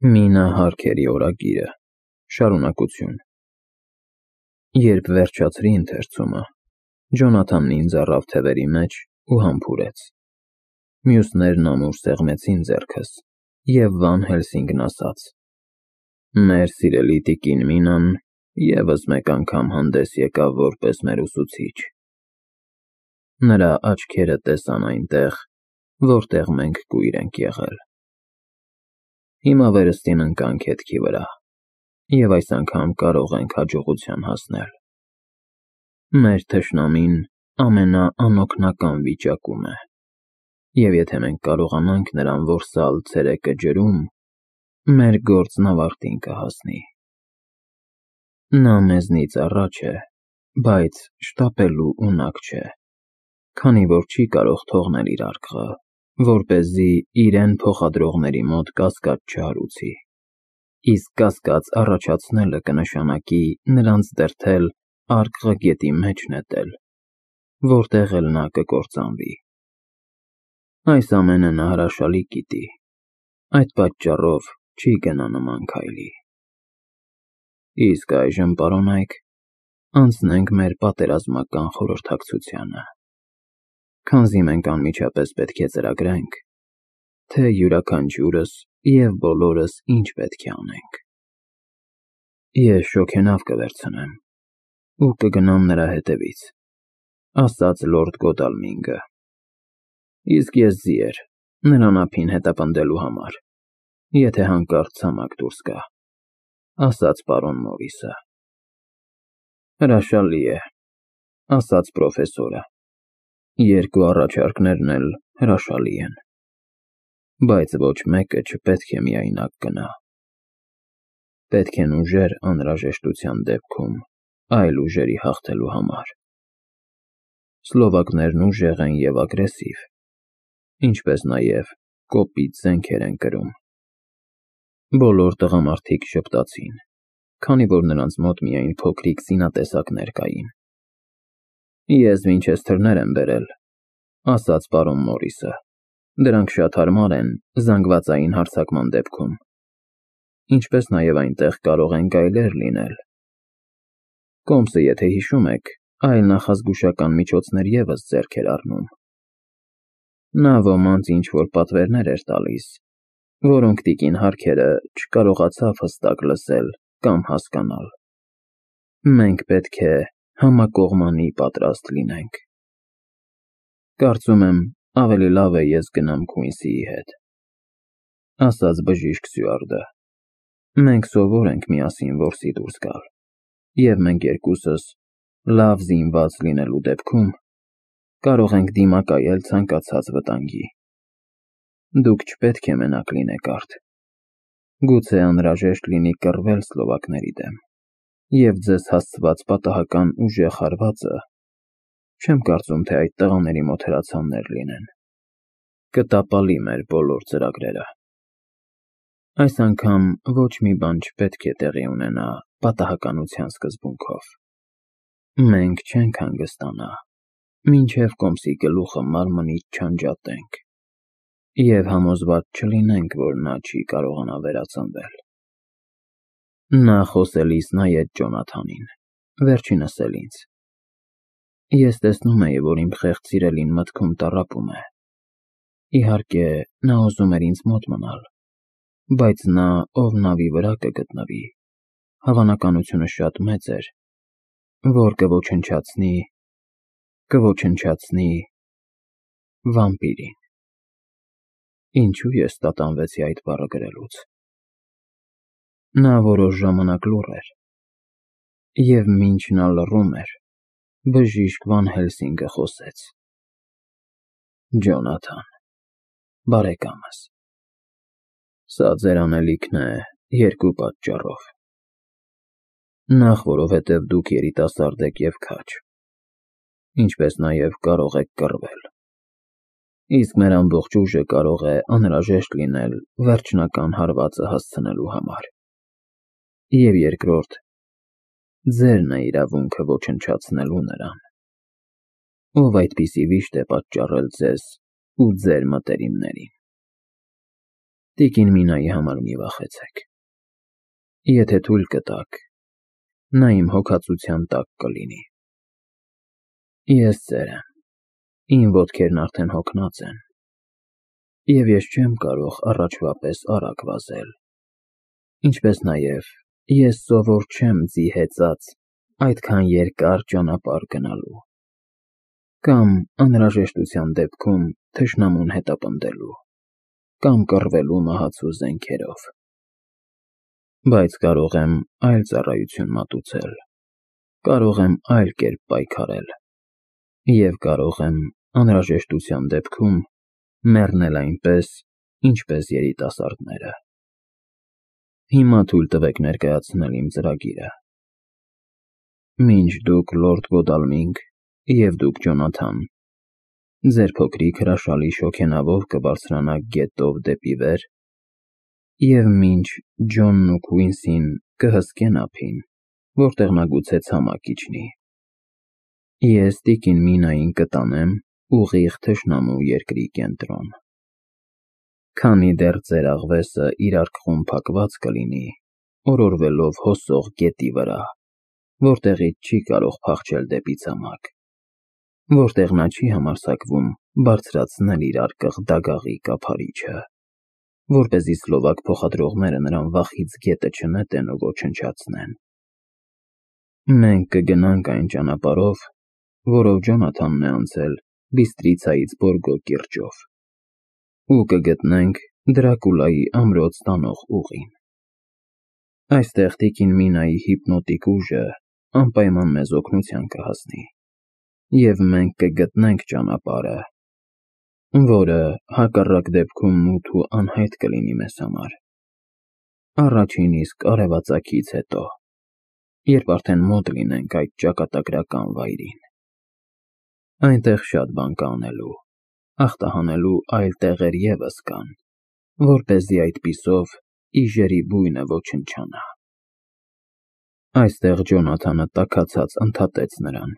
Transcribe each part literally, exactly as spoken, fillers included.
Մինա Հարքերի օրագիրը, շարունակություն։ Երբ վերջացրի ընթերցումը, Ջոնաթանն ինձ առավ թևերի մեջ ու համբուրեց։ Մյուսներն ամուր սեղմեցին ձեռքս, և Վան Հելսինգն ասաց. «Մեր սիրելի տիկին Մինան ևս մեկ անգամ հանդես եկավ որպես մեր ուսուցիչ»։ Նրա աչքերը տեսան այնտեղ, որտեղ մենք կույր ենք եղել։ Հիմա վերստին ընկանք հետքի վրա, և այս անգամ կարող ենք հաջողության հասնել։ Մեր թշնամին ամենաանօգնական վիճակում է, և եթե մենք կարողանանք նրան որսալ ցերեկը ջրում, մեր գործն ավարտին կհասնի։ Նա մեզնից առաջ է, բայց շտապելու ունակ չէ, քանի որ չի կարող թողնել իր արկղը, որպեսզի իրեն փոխադրողների մոտ կասկած չհարուցի, իսկ կասկած առաջացնելը կնշանակի նրանց դրդել արկղը գետի մեջ նետել, որտեղ էլ նա կկործանվի։ Այս ամենը նա հրաշալի գիտի, այդ պատճառով չի գնա նման քայլի։ Իսկ այժմ, պարոնայք, անցնենք մեր պատերազմական խորհրդակցությանը, քանզի մենք անմիջապես պետք է ծրագրենք, թե յուրաքանչյուրս և բոլորս ինչ պետք է անենք։ Ես շոգենավ կվերցնեմ ու կգնամ նրա հետևից, ասաց լորդ Գոդալմինգը, իսկ ես ձիեր, նրան ափին հետապնդելու համար, եթե հանկարծ ցամաք դուրս գա, ասաց պարոն Մորիսը։ Հրաշալի է, ասաց պրոֆեսորը, երկու առաջարկներն էլ հրաշալի են, բայց ոչ մեկը չպետք է միայնակ գնա։ Պետք են ուժեր անհրաժեշտության դեպքում այլ ուժերի հաղթելու համար։ Սլովակներն ուժեղ են և ագրեսիվ, ինչպես նաև կոպիտ զենքեր են կրում։ Բոլոր տղամարդիկ ժպտացին, քանի որ նրանց մոտ միայն փոքրիկ զինատեսակներ կային։ Ես Վինչեսթերներ եմ բերել, ասաց պարոն Մորիսը, դրանք շատ հարմար են զանգվածային հարձակման դեպքում, ինչպես նաև այնտեղ կարող են գայլեր լինել։ Կոմսը, եթե հիշում եք, այլ նախազգուշական միջոցներ ևս ձեռք էր առնում։ Նա ոմանց ինչ-որ պատվերներ էր տալիս, որոնք տիկին Հարքերը չկարողացավ հստակ լսել կամ հասկանալ։ Մենք պետք է համակողմանի պատրաստ լինենք։ Կարծում եմ, ավելի լավ է ես գնամ Քուինսիի հետ, ասաց բժիշկ Սյուարտը։ Մենք սովոր ենք միասին որսի դուրս գալ, և մենք երկուսս լավ զինված լինելու դեպքում կարող ենք դիմակայել ցանկացած վտանգի։ Դուք չպետք է մենակ լինեք, արդ։ Գուցե անհրաժեշտ լինի կռվել սլովակների դեմ, և ձեզ հասցված պատահական ուժեղ հարվածը չեմ կարծում, թե այդ տղաների մոտ հրացաններ լինեն, կտապալի մեր բոլոր ծրագրերը։ Այս անգամ ոչ մի բան չպետք է տեղի ունենա պատահականության սկզբունքով։ Մենք չենք հանգստանա, մինչև կոմսի գլուխը մարմնից չանջատենք և համոզված չլինենք, որ նա չի կարողանա վերածնվել։ Նա խոսելիս նայեց Ջոնաթանին, վերջինս էլ ինձ։ Ես տեսնում էի, որ իմ խեղճ սիրելին մտքում տառապում է։ Իհարկե, նա ուզում էր ինձ մոտ մնալ, բայց նա, ով նավի վրա կգտնվի, հավանականությունը շատ մեծ էր, որ կոչնչացնի, կոչնչացնի վամպիրին։ Ինչու ես տատանվեցի այդ բառը գրելուց։ Նա որոշ ժամանակ լուռ էր, և մինչ նա լռում էր, բժիշկ Վան Հելսինգը խոսեց. Ջոնաթան, բարեկամս, սա ձեր անելիքն է երկու պատճառով։ Նախ, որովհետև դուք երիտասարդ եք և քաջ, ինչպես նաև կարող եք կռվել, իսկ մեր ամբողջ ուժը կարող է անհրաժեշտ լինել վերջնական հարվածը հասցնելու համար։ Եվ երկրորդ, ձերն է իրավունքը ոչնչացնելու նրան, ով այդպիսի վիշտ է պատճառել ձեզ ու ձեր մտերիմներին։ Տիկին Մինայի համար մի վախեցեք։ Եթե թույլ կտաք, նա իմ հոգացության տակ կլինի։ Ես ծեր եմ, իմ ոտքերն արդեն հոգնած են, և ես չեմ կարող առաջվա պես արագ վազել, ինչպես նաև ես սովոր չեմ ձի հեծած այդքան երկար ճանապարհ գնալու, կամ անհրաժեշտության դեպքում թշնամուն հետապնդելու, կամ կռվելու մահացու զենքերով, բայց կարող եմ այլ ծառայություն մատուցել, կարող եմ այլ կերպ պայքարել, և կարող եմ անհրաժեշտության դեպքում մեռնել այնպես, ինչպես երիտասարդները։ Հիմա թույլ տվեք ներկայացնել իմ ծրագիրը։ Մինչ դուք լորդ Գոդալմինգ և դուք Ջոնաթան ձեր փոքրիկ հրաշալի շոգենավով կբարձրանաք գետով դեպի վեր, և մինչ Ջոնն ու Քուինսին կհսկեն ափին, որտեղ նա գուցե ցամաք իջնի, ես տիկին Մինային կտանեմ ուղիղ թշնամու երկրի կենտրոն։ Քանի դեռ ձեր աղվեսը իր արկղում փակված կլինի, օրորվելով հոսող գետի վրա, որտեղից չի կարող փախչել դեպի ցամաք, որտեղ նա չի համարձակվում բարձրացնել իր արկղ դագաղի կափարիչը, որպեսզի սլովակ փոխադրողները նրան վախից գետը չնետեն ու ոչնչացնեն։ Մենք կգնանք այն ճանապարհով, որով Ջոնաթանն է անցել Բիստրիցայից Բորգո կիրճով, ու կգտնենք Դրակուլայի ամրոց տանող ուղին։ Այստեղ տիկին Մինայի հիպնոտիկ ուժը անպայման մեզ օգնության կհասնի, և մենք կգտնենք ճանապարհը, որը հակառակ դեպքում մութ ու անհայտ կլինի մեզ համար, առաջին իսկ արևածագից հետո, երբ արդեն մոտ լինենք այդ ճակատագրական վայրին։ Այնտեղ շատ բան կա անելու, ախտահանելու այլ տեղեր ևս կան, որպեսզի այդպիսով իժերի բույնը ոչնչանա։ Այստեղ Ջոնաթանը տաքացած ընդհատեց նրան։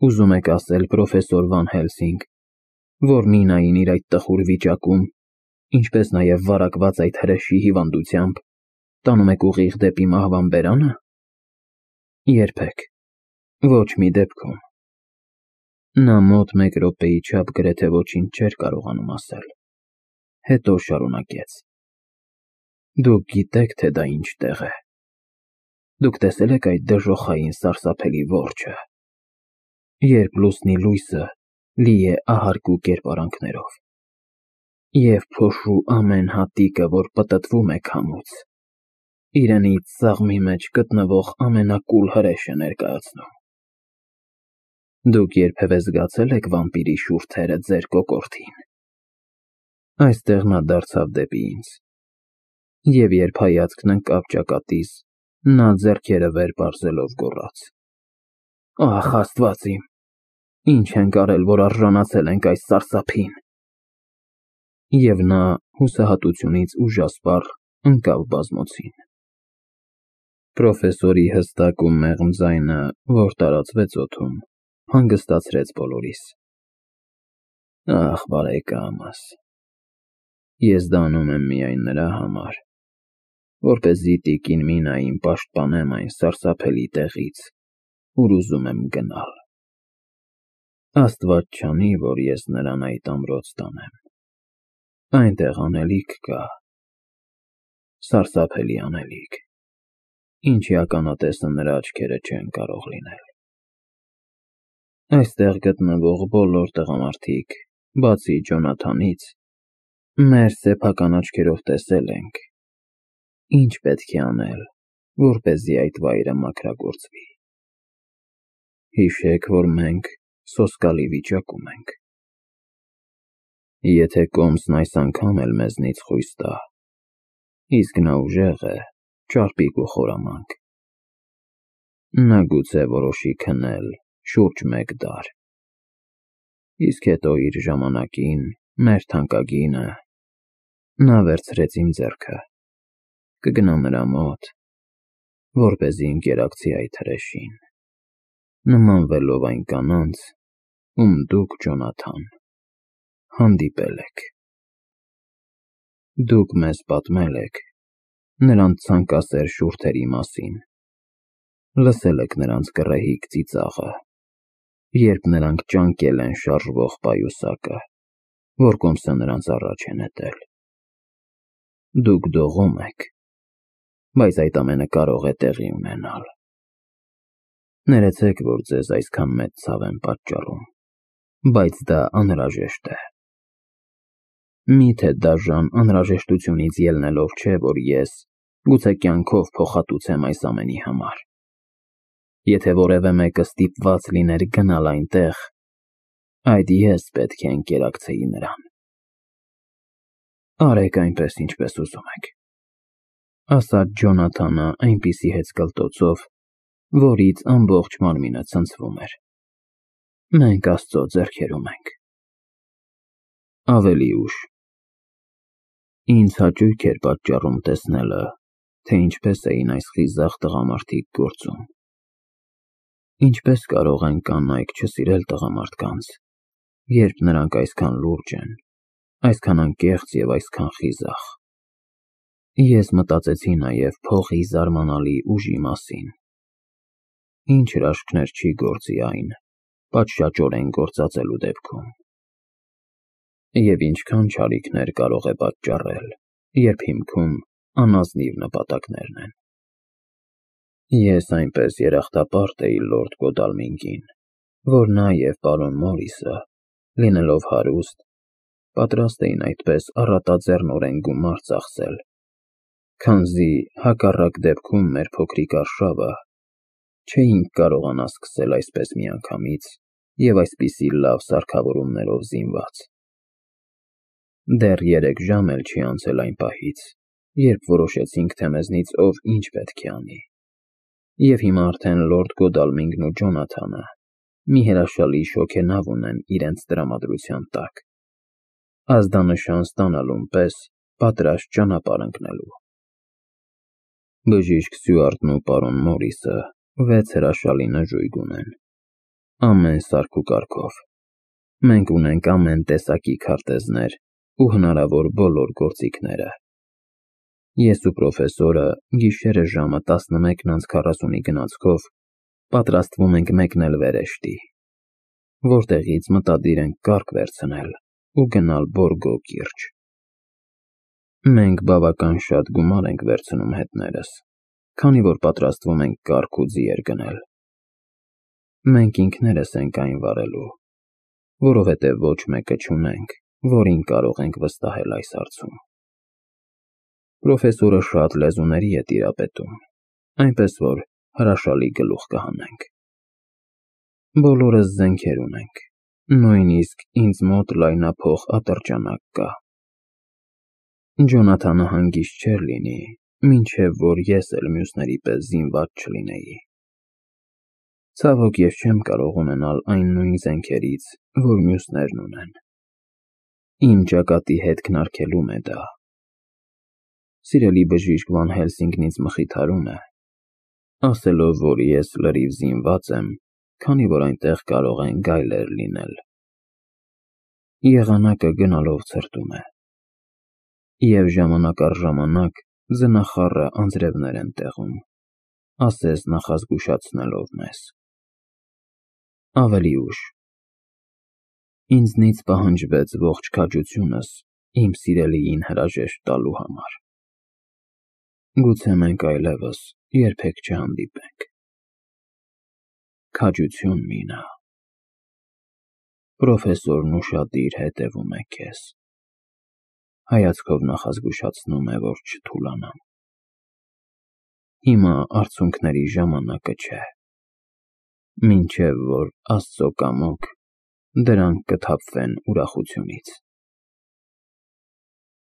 Ուզում եք ասել, պրոֆեսոր Վան Հելսինգ, որ Մինային իր այդ տխուր վիճակում, ինչպես նաև վարակված այդ հրեշի հիվանդությամբ, տանում եք ուղիղ դեպի մահվան բերանը։ Երբեք, ոչ մի դեպքում։ Նա մոտ մեկ րոպեի չափ գրեթե ոչինչ չէր կարողանում ասել, հետո շարունակեց. Դուք գիտեք, թե դա ինչ տեղ է։ Դուք տեսել եք այդ դժոխային սարսափելի որջը, երբ լուսնի լույսը լի է ահարկու կերպարանքներով, և փոշու ամեն հատիկը, որ պտտվում է քամուց, իրենից սաղմի մեջ գտնվող ամենակուլ հրեշը ներկայացնում։ Դուք երբևէ զգացե՞լ եք վամպիրի շուրթերը ձեր կոկորդին։ Այստեղ նա դարձավ դեպի ինձ, և երբ հայացքն ընկավ ճակատիս, նա ձեռքերը վեր պարզելով գոռաց. Ահ, Աստված իմ, ինչ ենք արել, որ արժանացել ենք այս սարսափին։ Եվ նա հուսահատությունից ուժասպառ ընկավ բազմոցին։ Պրոֆեսորի հստակ ու մեղմ ձայնը, որ տարածվեց օդում, հանգստացրեց բոլորիս։ Ախ, բարեկամս, ես դա անում եմ միայն նրա համար, որպեսզի տիկին Մինային պաշտպանեմ այն սարսափելի տեղից, ուր ուզում եմ գնալ։ Աստված չանի, որ ես նրան այդ ամրոց տանեմ։ Այնտեղ անելիք կա, սարսափելի անելիք, ինչի ականատեսը նրա աչքերը չեն կարող լինել։ Այստեղ գտնվող բոլոր տղամարդիկ, բացի Ջոնաթանից, մեր սեփական աչքերով տեսել ենք, ինչ պետք է անել, որպեսզի այդ վայրը մաքրագործվի։ Հիշեք, որ մենք սոսկալի վիճակում ենք։ Եթե կոմսն այս անգամ էլ մեզնից խույս տա, իսկ նա ուժեղ է, ճարպիկ ու խորամանկ, նա գուցե որոշի քնել շուրջ մեկ դար, իսկ հետո իր ժամանակին, մեր թանկագինը, նա վերցրեց իմ ձեռքը, կգնա նրա մոտ, որպեսզի ընկերակցի այդ հրեշին, նմանվելով այն կանանց, ում դուք, Ջոնաթան, հանդիպել եք։ Դուք մեզ պատմել եք նրանց ցանկասեր շուրթերի մասին, լսել եք նրանց գռեհիկ ծիծաղը, երբ նրանք ճանկել են շարժվող պայուսակը, որ կոմսը նրանց առաջ է նետել։ Դուք դողում եք, բայց այդ ամենը կարող է տեղի ունենալ։ Ներեցեք, որ ձեզ այսքան մեծ ցավ եմ պատճառում, բայց դա անհրաժեշտ է։ Միթե դաժան անհրաժեշտությունից ելնելով չէ, որ ես գուցե կյանքով փոխհատուցեմ այս ամենի համար։ Եթե որևէ մեկը ստիպված լիներ գնալ այնտեղ, այդ ես պետք է ընկերակցեի նրան։ Արեք այնպես, ինչպես ուզում եք, ասաց Ջոնաթանը այնպիսի հեծկլտոցով, որից ամբողջ մարմինը ցնցվում էր։ Մենք Աստծո ձեռքերում ենք։ Ավելի ուշ ինձ հաճույք էր պատճառում տեսնելը, թե ինչպես էին այս խիզախ տղամարդիկ գործում։ Ինչպես կարող են կանայք չսիրել տղամարդկանց, երբ նրանք այսքան լուրջ են, այսքան անկեղծ և այսքան խիզախ։ Ես մտածեցի նաև փողի զարմանալի ուժի մասին։ Ինչ հրաշքներ չի գործի այն, պատշաճորեն գործածելու դեպքում։ Եվ ինչքան չարիքներ կարող է պատճառել, երբ հիմքում անազնիվ նպատակներն են։ Ես այնպես երախտապարտ էի լորդ Գոդալմինգին, որ նա և պարոն Մորիսը, լինելով հարուստ, պատրաստ էին այդպես առատաձեռնորեն գումար ծախսել, քանզի հակառակ դեպքում մեր փոքրիկ արշավը չէինք կարողանա սկսել այսպես միանգամից և այսպիսի լավ սարքավորումներով զինված։ Դեռ երեք ժամ էլ չի անցել այն պահից, երբ որոշեցինք, թե մեզնից ով ինչ պետք է անի, և հիմա արդեն լորդ Գոդալմինգն ու Ջոնաթանը մի հրաշալի շոգենավ ունեն իրենց տրամադրության տակ, ազդանշան ստանալուն պես պատրաստ ճանապարհ ընկնելու։ Բժիշկ Սյուարտն ու պարոն Մորիսը վեց հրաշալի նժույգ ունեն, ամեն սարք ու կարգով։ Մենք ունենք ամեն տեսակի քարտեզներ ու հնարավոր բոլոր գործիքները։ Ես ու պրոֆեսորը գիշերը ժամը տասնմեկն անց քառասունի գնացքով պատրաստվում ենք մեկնել վերեշտի, որտեղից մտադիր ենք կառք վերցնել ու գնալ Բորգո կիրճ։ Մենք բավական շատ գումար ենք վերցնում հետներս, քանի որ պատրաստվում ենք կառք ու ձիեր գնել։ Մենք ինքներս ենք այն վարելու, որովհետև ոչ մեկը չունենք, որին կարող ենք վստահել այս հարցում։ Պրոֆեսորը շատ լեզուների է տիրապետում, այնպես որ հրաշալի գլուխ կհանենք։ Բոլորս զենքեր ունենք, նույնիսկ ինձ մոտ լայնափող ատրճանակ կա։ Ջոնաթանը հանգիստ չէր լինի, մինչև որ ես էլ մյուսների պես զինված չլինեի։ Ցավոք, ես չեմ կարող ունենալ այն նույն զենքերից, որ մյուսներն ունեն։ Իմ ճակատի հետքն արգելում է դա։ Սիրելի բժիշկ Վան Հելսինգն ինձ մխիթարում է, ասելով, որ ես լրիվ զինված եմ, քանի որ այնտեղ կարող են գայլեր լինել։ Եղանակը գնալով ցրտում է, և ժամանակ առ ժամանակ ձնախառը անձրևներ են տեղում, ասես նախազգուշացնելով մեզ։ Ավելի ուշ ինձնից պահանջվեց ողջ քաջությունս իմ սիրելիին հրաժեշտ տալու համար։ Գուցե մենք այլևս երբեք չհանդիպենք։ Քաջություն, Մինա։ Պրոֆեսորն ուշադիր հետևում է քեզ, հայացքով նախազգուշացնում է, որ չթուլանամ։ Հիմա արցունքների ժամանակը չէ, մինչև որ Աստծո կամոք դրանք կթափվեն ուրախությունից։